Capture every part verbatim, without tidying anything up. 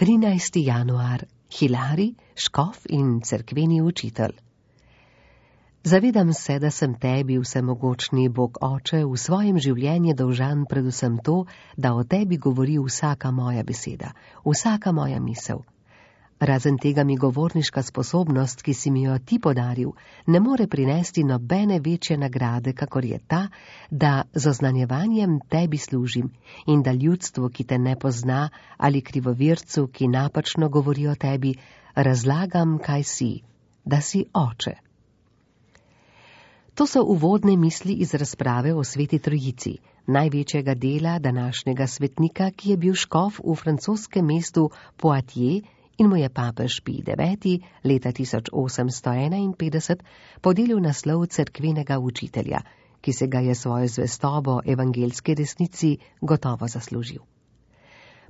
trinajsti januar. Hilarij, škof in cerkveni učitelj. Zavedam se, da sem tebi, vsemogočni Bog Oče, v svojem življenju dolžan predvsem to, da o tebi govori vsaka moja beseda, vsaka moja misel. Razen tega mi govorniška sposobnost, ki si mi jo ti podaril, ne more prinesti nobene večje nagrade, kakor je ta, da z oznanjevanjem tebi služim in da ljudstvu, ki te ne pozna, ali krivovircu, ki napačno govori o tebi, razlagam, kaj si, da si Oče. To so uvodne misli iz razprave o Sveti Trojici, največjega dela današnjega svetnika, ki je bil škof v francoskem mestu Poitiers in mu je papež Pij deveti leta tisoč osemsto enainpetdeset podelil naslov cerkvenega učitelja, ki se ga je svojo zvestobo evangeljski resnici gotovo zaslužil.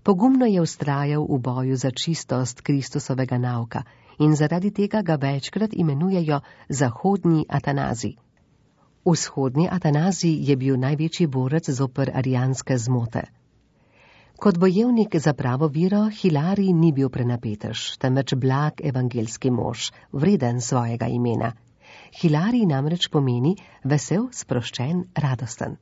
Pogumno je vztrajal v boju za čistost Kristusovega nauka in zaradi tega ga večkrat imenujejo zahodni Atanazij. Vzhodni Atanazij je bil največji borec zoper arijanske zmote. Kot bojevnik za pravo vero, Hilarij ni bil prenapetež, temveč blag evangeljski mož, vreden svojega imena. Hilarij namreč pomeni vesel, sproščen, radosten.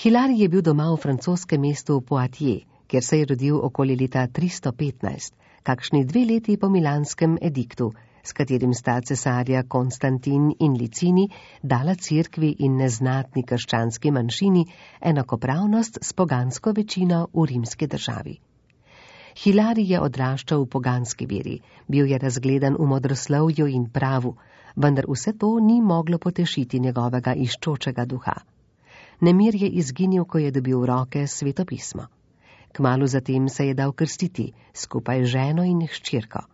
Hilarij je bil doma v francoskem mestu Poitiers, kjer se je rodil okoli leta tristo petnajst, kakšni dve leti po milanskem ediktu, s katerim sta cesarja Konstantin in Licini dala cerkvi in neznatni krščanski manjšini enakopravnost s pogansko večino v rimski državi. Hilarij je odraščal v poganski veri, bil je razgledan v modroslovju in pravu, vendar vse to ni moglo potešiti njegovega iščočega duha. Nemir je izginil, ko je dobil v roke Sveto pismo. Kmalu zatem se je dal krstiti, skupaj z ženo in hčerko.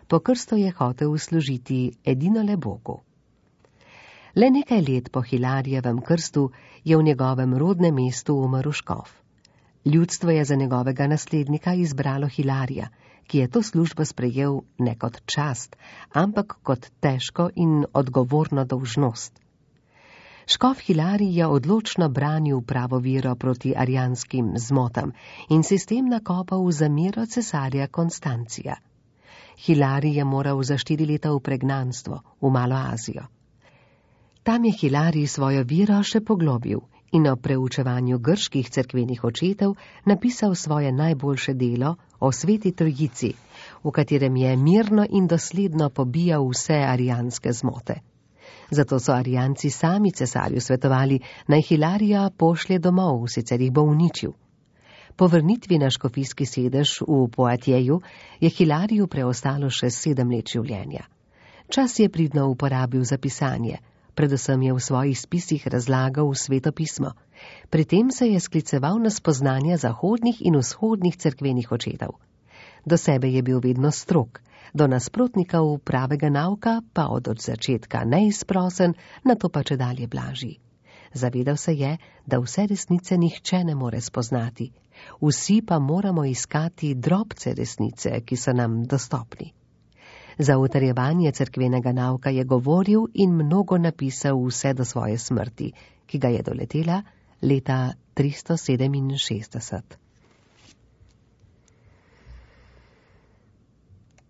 Po krstu je hotel služiti edinole Bogu. Le nekaj let po Hilarijevem krstu je v njegovem rodnem mestu umrl škof. Ljudstvo je za njegovega naslednika izbralo Hilarija, ki je to službo sprejel ne kot čast, ampak kot težko in odgovorno dolžnost. Škof Hilarij je odločno branil pravo vero proti arijanskim zmotam in sistem nakopal za mero cesarja Konstancija. Hilarij je moral za štiri leta v pregnanstvo, v Malo Azijo. Tam je Hilarij svojo vero še poglobil in o preučevanju grških cerkvenih očetov napisal svoje najboljše delo o Sveti Trojici, v katerem je mirno in dosledno pobijal vse arijanske zmote. Zato so arijanci sami cesarju svetovali, naj Hilarija pošlje domov, sicer jih bo uničil. Po vrnitvi na škofijski sedež v Poitiesu je Hilariju preostalo še sedem let življenja. Čas je pridno uporabil za pisanje, predvsem je v svojih spisih razlagal Sveto pismo. Pri tem se je skliceval na spoznanja zahodnih in vzhodnih cerkvenih očetov. Do sebe je bil vedno strog, do nasprotnikov pravega nauka pa od od začetka neizprosen, nato pa čedalje blažji. Zavedal se je, da vse resnice nihče ne more spoznati, vsi pa moramo iskati drobce resnice, ki so nam dostopni. Za utrjevanje cerkvenega nauka je govoril in mnogo napisal vse do svoje smrti, ki ga je doletela leta tristo sedeminšestdeset.